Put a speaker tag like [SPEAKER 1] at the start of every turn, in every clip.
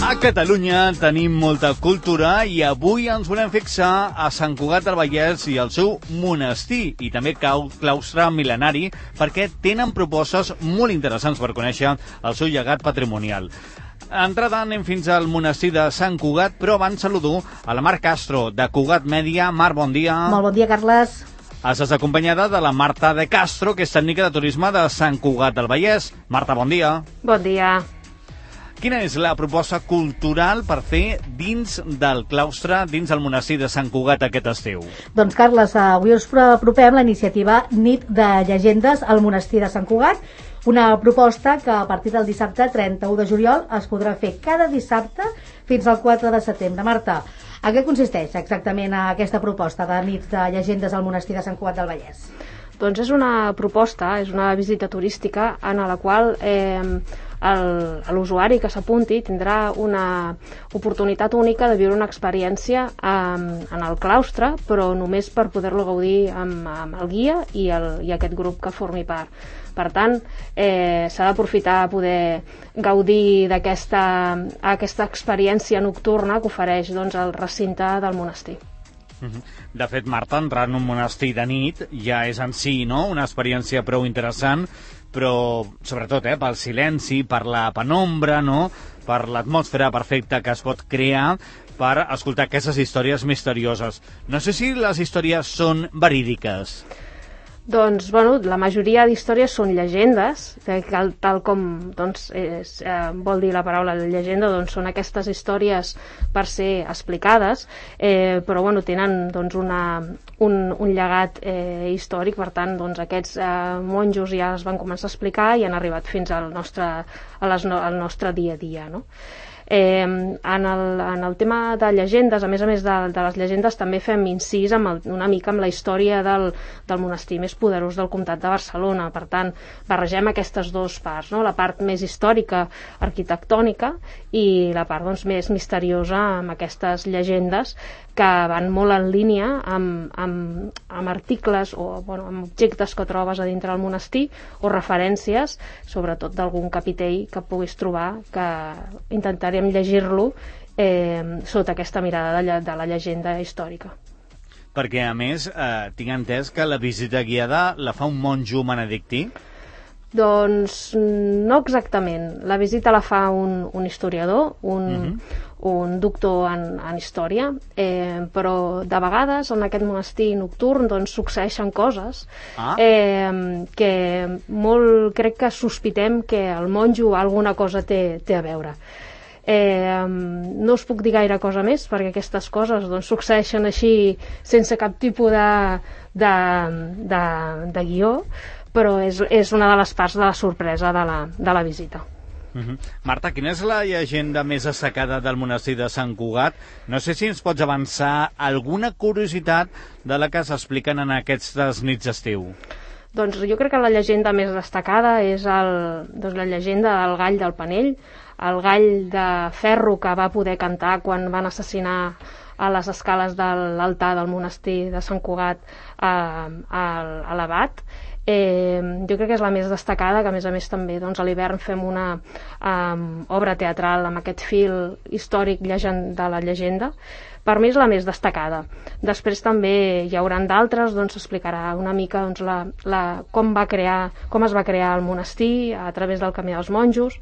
[SPEAKER 1] A Catalunya tenim molta cultura i avui ens volem fixar a Sant Cugat del Vallès i el seu monestir i també claustre mil·lenari perquè tenen propostes molt interessants per conèixer el seu llegat patrimonial. Entrada anem fins al monestir de Sant Cugat, però abans saludo a la Mar Castro de Cugat Mèdia. Mar, bon dia.
[SPEAKER 2] Molt bon dia, Carles.
[SPEAKER 1] Estàs acompanyada de la Marta de Castro, que és tècnica de turisme de Sant Cugat del Vallès. Marta, bon dia.
[SPEAKER 3] Bon dia.
[SPEAKER 1] Quina és la proposta cultural per fer dins del claustre, dins del monestir de Sant Cugat aquest estiu?
[SPEAKER 2] Doncs, Carles, avui us apropem la iniciativa Nit de Llegendes al monestir de Sant Cugat, una proposta que a partir del dissabte 31 de juliol es podrà fer cada dissabte fins al 4 de setembre. Marta, a què consisteix exactament aquesta proposta de Nit de Llegendes al monestir de Sant Cugat del Vallès?
[SPEAKER 3] Doncs és una proposta, és una visita turística en la qual l'usuari que s'apunti tindrà una oportunitat única de viure una experiència en el claustre, però només per poder-lo gaudir amb el guia i aquest grup que formi part. Per tant, s'ha d'aprofitar a poder gaudir d'aquesta experiència nocturna que ofereix el recinte del monestir.
[SPEAKER 1] De fet, Marta, entrar en un monestir de nit ja és en si una experiència prou interessant, però sobretot pel silenci, per la penombra, per l'atmosfera perfecta que es pot crear per escoltar aquestes històries misterioses. No sé si les històries són verídiques.
[SPEAKER 3] Doncs, la majoria d'històries són llegendes, tal com vol dir la paraula llegenda, són aquestes històries per ser explicades, però tenen un llegat històric. Per tant, aquests monjos ja es van començar a explicar i han arribat fins al nostre dia a dia, no? En el tema de llegendes, a més de les llegendes, també fem incís una mica amb la història del monestir més poderós del comtat de Barcelona. Per tant, barregem aquestes dues parts, la part més històrica, arquitectònica, i la part més misteriosa amb aquestes llegendes que van molt en línia amb articles o amb objectes que trobes a dintre del monestir o referències, sobretot d'algun capitell que puguis trobar, que intentarem llegir-lo sota aquesta mirada de la llegenda històrica.
[SPEAKER 1] Perquè, a més, tinc entès que la visita guiada la fa un monjo benedictí?
[SPEAKER 3] Doncs no exactament. La visita la fa un historiador, un doctor en història, però de vegades en aquest monestir nocturn succeeixen coses que crec que sospitem que el monjo alguna cosa té a veure. No us puc dir gaire cosa més perquè aquestes coses succeeixen així sense cap tipus de guió, però és una de les parts de la sorpresa de la visita.
[SPEAKER 1] Marta, quina és la llegenda més destacada del monestir de Sant Cugat? No sé si ens pots avançar alguna curiositat de la que s'expliquen en aquestes nits d'estiu.
[SPEAKER 3] Doncs jo crec que la llegenda més destacada és la llegenda del gall del Panell, el gall de ferro que va poder cantar quan van assassinar a les escales de l'altar del monestir de Sant Cugat a l'abat. Jo crec que és la més destacada, que a més també a l'hivern fem una obra teatral amb aquest fil històric de la llegenda. Per mi és la més destacada. Després també hi haurà d'altres, s'explicarà una mica com es va crear el monestir a través del camí dels monjos.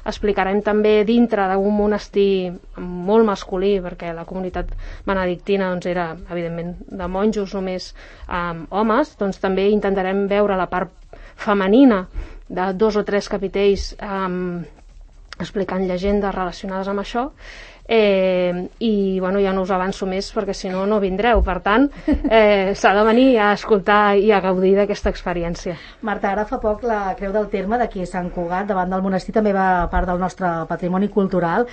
[SPEAKER 3] Explicarem també dintre d'un monestir molt masculí, perquè la comunitat benedictina era, evidentment, de monjos només homes, també intentarem veure la part femenina de 2 o 3 capitells explicant llegendes relacionades amb això. I ja no us avanço més perquè si no vindreu, per tant s'ha de venir a escoltar i a gaudir d'aquesta experiència.
[SPEAKER 2] Marta, ara fa poc la Creu del Terme d'aquí a Sant Cugat davant del monestir també va part del nostre patrimoni cultural.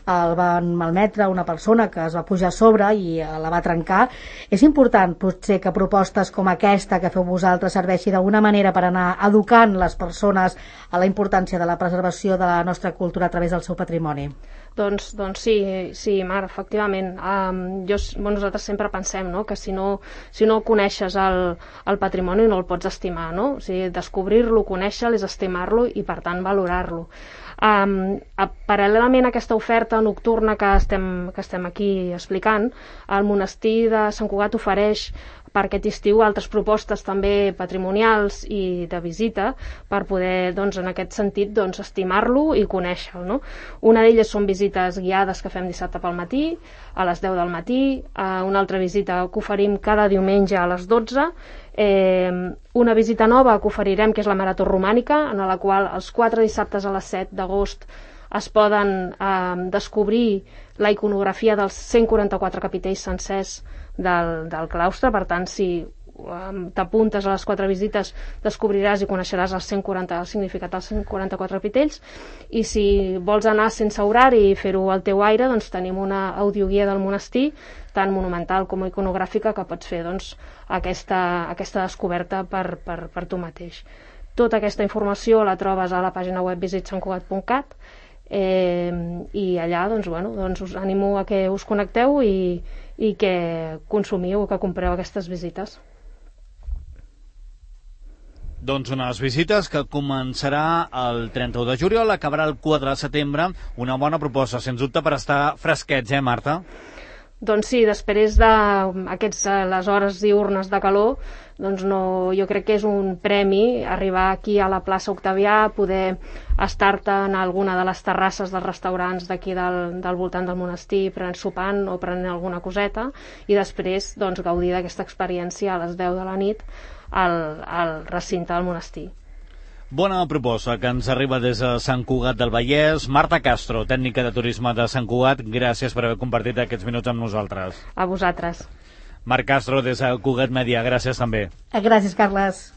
[SPEAKER 2] El van malmetre una persona que es va pujar a sobre i la va trencar. És important potser que propostes com aquesta que feu vosaltres serveixi d'alguna manera per anar educant les persones a la importància de la preservació de la nostra cultura a través del seu patrimoni.
[SPEAKER 3] Doncs sí, Sí, Mar, efectivament. Nosaltres sempre pensem, no?, que si no coneixes el patrimoni no el pots estimar, no? O sigui, descobrir-lo, conèixer-lo és estimar-lo i, per tant, valorar-lo. Paral·lelament a aquesta oferta nocturna que estem aquí explicant, el monestir de Sant Cugat ofereix per aquest estiu altres propostes també patrimonials i de visita per poder, doncs, en aquest sentit, doncs, estimar-lo i conèixer-lo, no? Una d'elles són visites guiades que fem dissabte pel matí, a les 10 del matí, una altra visita que oferim cada diumenge a les 12, una visita nova que oferirem, que és la Marató Romànica, en la qual els 4 dissabtes a les 7 d'agost es poden descobrir la iconografia dels 144 capitells sencers del claustre. Per tant, si t'apuntes a les 4 visites descobriràs i coneixeràs el significat dels 144 capitells, i si vols anar sense horari i fer-ho al teu aire, doncs tenim una audioguia del monestir tant monumental com iconogràfica que pots fer, doncs, aquesta descoberta per tu mateix. Tota aquesta informació la trobes a la pàgina web visitsantcugat.cat, i allà doncs us animo a que us connecteu i que consumiu, que compreu aquestes visites.
[SPEAKER 1] Doncs unes visites que començarà el 31 de juliol, acabarà el 4 de setembre. Una bona proposta, sens dubte, per estar fresquets, Marta?
[SPEAKER 3] Doncs sí, després les hores diürnes de calor, doncs jo crec que és un premi arribar aquí a la plaça Octavià, poder estar-te en alguna de les terrasses dels restaurants d'aquí del voltant del monestir, sopant o prenent alguna coseta, i després doncs, gaudir d'aquesta experiència a les 10 de la nit al recinte del monestir.
[SPEAKER 1] Bona proposta que ens arriba des de Sant Cugat del Vallès. Marta Castro, tècnica de turisme de Sant Cugat, gràcies per haver compartit aquests minuts amb nosaltres.
[SPEAKER 3] A vosaltres.
[SPEAKER 1] Marc Castro, des de Cugat Media, gràcies també.
[SPEAKER 2] Gràcies, Carles.